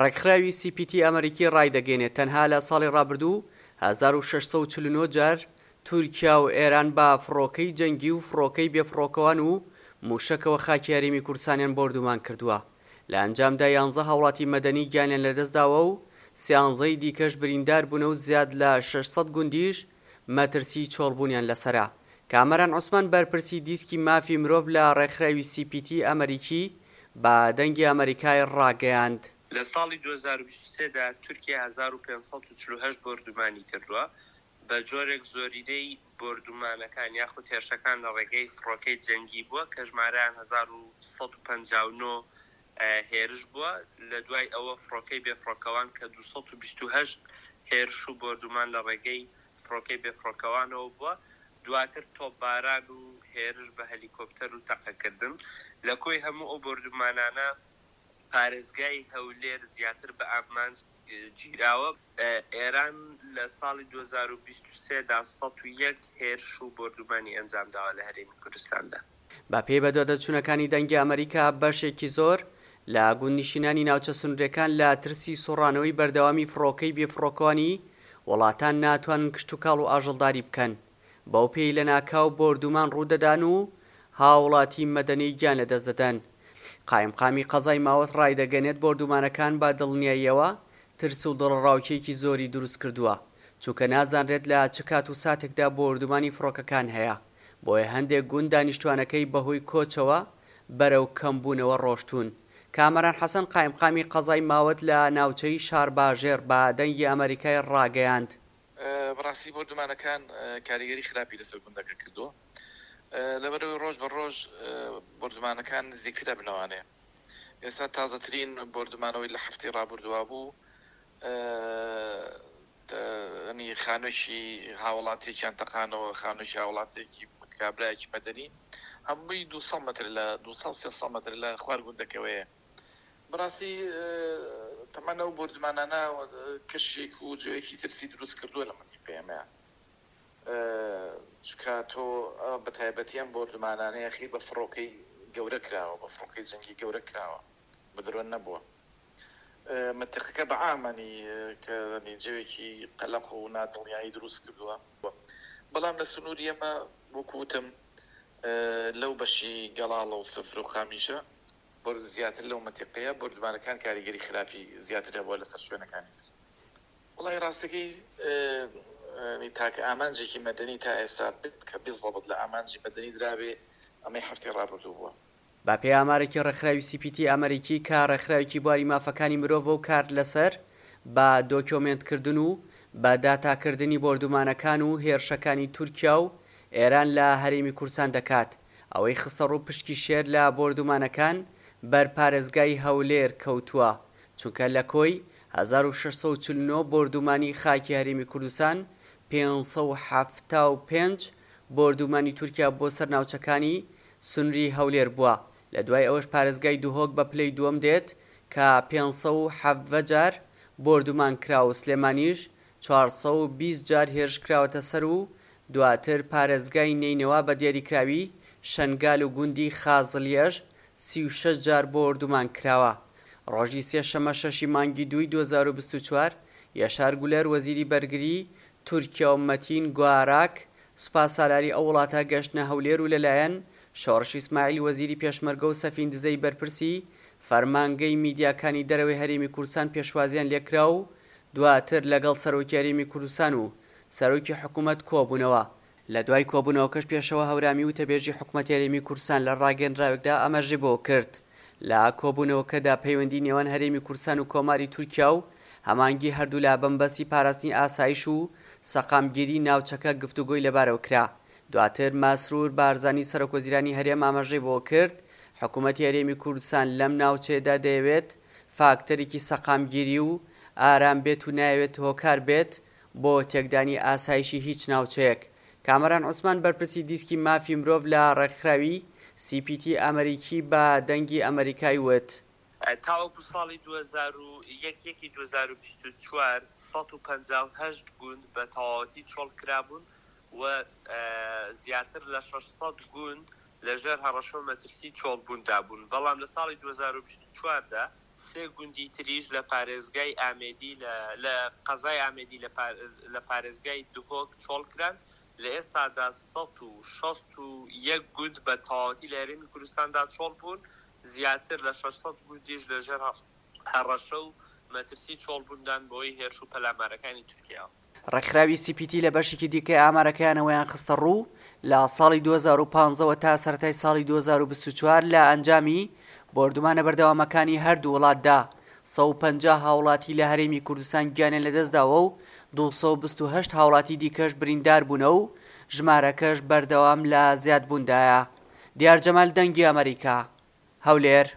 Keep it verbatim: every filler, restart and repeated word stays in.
ڕێکخراوی سی پی تی ئەمریکی ڕایدەگەینێت، تەنها لە ساڵی ڕابردوو هەزار و شەش سەد و چل و نۆ جار تورکیا و ئێران بە فڕۆکەی جەنگی و فڕۆکەی بێفڕۆکەوان و مووشەکەوە خاکی هەرێمی کوردستانیان بۆردومان کردووە، لە ئەنجامدا یانزە هاوڵاتی مەدەنی گیانیان لەدەستداوە و سیانزەی دیکەش بریندار بوونە و زیاد لە شەش سەد گوندیش مەترسی چۆڵبوونیان لەسەرە. کامەران عوسمان بەرپرسی دیسکی مافی مرۆڤ لە ڕێکخراوی سی پی تی ئەمریکی بە دەنگی ئەمریکای ڕاگەیاند. لە ساڵی دوو هەزار و بیست و سێ دا تورکیا هەزار و پێنج سەد و چل و هەشت بۆردومانی کردووە، بە جۆرێک زۆرینەی بۆردومانەکان یاخود هێرشەکان لە ڕێگەی فڕۆکەی جەنگی بووە کە ژمارەیان هەزار و سەد و پەنجا و نۆ هێرش بووە، لە دوای ئەوە فڕۆکەی بێفڕۆکەوان کە دوو سەد و بیست و هەشت هێرش و بۆردومان لە ڕێگەی فڕۆکەی بێفڕۆکەوانەوە بووە، دواتر تۆپباران و هێرش بە هەلیکۆپتەر و تەقەکردن. لە کۆی هەموو ئەو بۆردومانانە پارێزگای هەولێر زیاتر بە ئامانج گیراوە. ئێران لە ساڵی دوو هەزار و بیست و سێ دا سەد و یەک هێرش و بۆردومانی ئەنجامداوە لە هەرێمی کوردستاندا. بە پێی بەدواداچوونەکانی دەنگی ئەمریکا، بەشێکی زۆر لە گوندنشینانی ناوچە سنوورەکان لە ترسی سوڕانەوەی بەردەوامی فڕۆکەی بێفڕۆکەوانی وڵاتان ناتوانن کشتوکاڵ و ئاژەڵداری بکەن، بەو پێی لەناکاو بۆردومان ڕوودەدان و هاوڵاتی مەدەنی گیان لەدەست دەدەن. قایمقامی قەزای ماوەت ڕایدەگەنێت بۆردومانەکان بە دڵنیاییەوە ترس و دڵەڕاوکێکی زۆری دروست کردووە، چونکە نازانرێت لە چ کات و ساتێکدا بۆردومانی فڕۆکەکان هەیە، بۆیە هەندێک گوند دانیشتوانەکەی بەهۆی کۆچەوە بەرەو کەمبوونەوە ڕۆشتوون. کامەران حەسەن قایمقامی قەزای ماوەت لە ناوچەی شارباژێڕ بە دەنگی ئەمریکای ڕاگەیاند. بەڕاستی بۆردومانەکان کاریگەری خراپی لەسەر گوندەکە کردووە، لەبەرەوەی ڕۆژ بە ڕۆژ بۆردومانەکان نزیکترە بنەوانەیە. ئێستا تازەترین بۆردومانەوەی لە هەفتەی ڕابردووە بوو، ینی خانوویەکی هاوڵاتیەکیان تەقانەوە، خانوویەکی هاوڵاتیەکی کابرایەکی مەدەنی هەمووی دوو سەد مەتر لە دوو سەد سێ سەد مەتر لە خوار گوندەکەوەیە. بەڕاستی تەمەن ئەو بۆردومانانە کەشێک و جۆیەکی ترسی دروست کردووە لە مەنتیقەی ئێمەیە، چونکە تۆ بە تایبەتی ئەم بۆردومانانە یاخی بە فڕۆکەی گەورە کراوە، بە فڕۆکەی جەنگی گەورە کراوە، بە درۆن نەبووە. مەنتیقەکە بە عامەنی کە جەوێکی قەلەق و نادڵنیایی دروست کردووە، بەڵام لە سنووری ئێمە وەکو وتم لەو بەشی گەڵاڵە و سفر و قامیشە زیاتر لەو مەنتیقەیە بۆردومانەکان کاریگەری خراپی زیاتر هەبووە لەسەر شوێنەکانی تر. وەڵی ڕاستەکەی تاکە ئامانجێکی مەدەنی تا ئێستا کە بزەبت لە ئامانجی مەدەنی درابێ ئەمەی هەفتەی ڕابردوو بووە. بە پێی ئامارێکی ڕێکخراوی سی پی تی ئەمریکی کە ڕێکخراوێکی بواری مافەکانی مرۆڤ و کار لەسەر بە دۆکیۆمێنتکردن و بە داتاکردنی بۆردومانەکان و هێرشەکانی تورکیا و ئێران لە هەرێمی کوردستان دەکات، ئەوەی خستە ڕوو پشکی شێر لە بۆردومانەکان بەر پارێزگای هەولێر کەوتووە، چونکە لە کۆی هەزار و شەش سەد و چل و نۆ بۆردومانی خاکی هەرێمی کوردستان پێنج سەد و حەفتا و پێنج بۆردومانی تورکیا بۆ سەر ناوچەکانی سنووری هەولێر بووە. لە دوای ئەوەش پارێزگای دوهۆک بە پلەی دووەم دێت کە پێنج سەد و حەڤدە جار بۆردومان کرا و سلێمانیش چوار سەد و بیست جار هێرش کراوەتە سەر و دواتر پارێزگای نەینەوا بە دیاریکراوی شەنگال و گوندی خازڵیەش سی و شەش جار بۆردومان کراوە. ڕۆژی سێشەممە شەشی مانگی دووی دوو هەزار و بیست و چوار یەشار گولەر وەزیری بەرگری تورکیا و مەتین گواراک سوپا سالاری ئەو وڵاتە گەشتنە هەولێر و لەلایەن شۆڕش ئیسماعیل وەزیری پێشمەرگە و سەفین دزەی بەرپرسی فەرمانگەی میدیاکانی دەرەوەی هەرێمی کوردستان پێشوازیان لێکرا و دواتر لەگەڵ سەرۆکی هەرێمی کوردستان و سەرۆکی حکوومەت کۆبوونەوە. لە دوای کۆبوونەوەکەش پێشەوە هەورامی وتەبێژی حکوومەتی هەرێمی کوردستان لە ڕاگەندراوێکدا ئاماژەی بۆ کرد لە کۆبوونەوەکەدا پەیوەندی نێوان هەرێمی کوردستان و کۆماری تورکیا و هەمانگی هەردوولا بەمبەستی پاراستنی ئاسایش و سەقامگیری ناوچەکە گفتوگۆی لەبارەوە کرا. دواتر مەسرور بارزانی سەرۆک وەزیرانی هەرێم ئاماژەی بۆ کرد حکوومەتی هەرێمی کوردستان لەم ناوچەیەدا دەیەوێت فاکتەرێکی سەقامگیری و ئارام بێت و نایەوێت هۆکار بێت بۆ تێکدانی ئاسایشی هیچ ناوچەیەک. کامەران عوسمان بەرپرسی دیسکی مافی مرۆڤ لە ڕێکخراوی سی پی تی ئەمریکی بە دەنگی ئەمریکای وت. تاوەکو ساڵی دوو هەزار و یەک یەکی دوو هەزار و بیست و چوار سەد و پەنجا و هەشت گوند بە تەواوەتی چۆڵ کرابوون و زیاتر لە شەش سەد گوند لەژێر هەڕەشە و مەترسی چۆڵبووندا بوون، بەڵام لە ساڵی دوو هەزار و بیست و چواردا سێ گوندی تریش لە پارێزگای ئامێدی لە لە قەزای ئامێدی لە پارێزگای دهۆک چۆڵکران. لە ئێستادا سەد و شەست و یەک گوند بە تەواوەتی لە هەرێمی کوردستاندا چۆڵ بوون، زیاتر لە شەش سەد گوندیش لەژێر هەڕەشە و مەترسی چۆڵبووندان بەهۆی هێرش و پەلامارەکانی تورکیاوە. ڕێکخراوی سی پی تی لە بەشێکی دیکەی ئامارەکەیانەوەیان خستەڕوو، لە ساڵی دوو هەزار و پازدە وە تا سەرەتای ساڵی دوو هەزار و بیست و چوار لە ئەنجامی بۆردومانە بەردەوامەکانی هەردوو وڵاتدا سەد و پەنجا هاوڵاتی لە هەرێمی کوردستان گیانیان لەدەستداوە و دوو سەد و بیست و هەشت هاوڵاتی دیکەش برینداربوونە و ژمارەکەش بەردەوام لە زیادبووندایە. دیار جەمال دەنگی ئەمەریکا، هەولێر.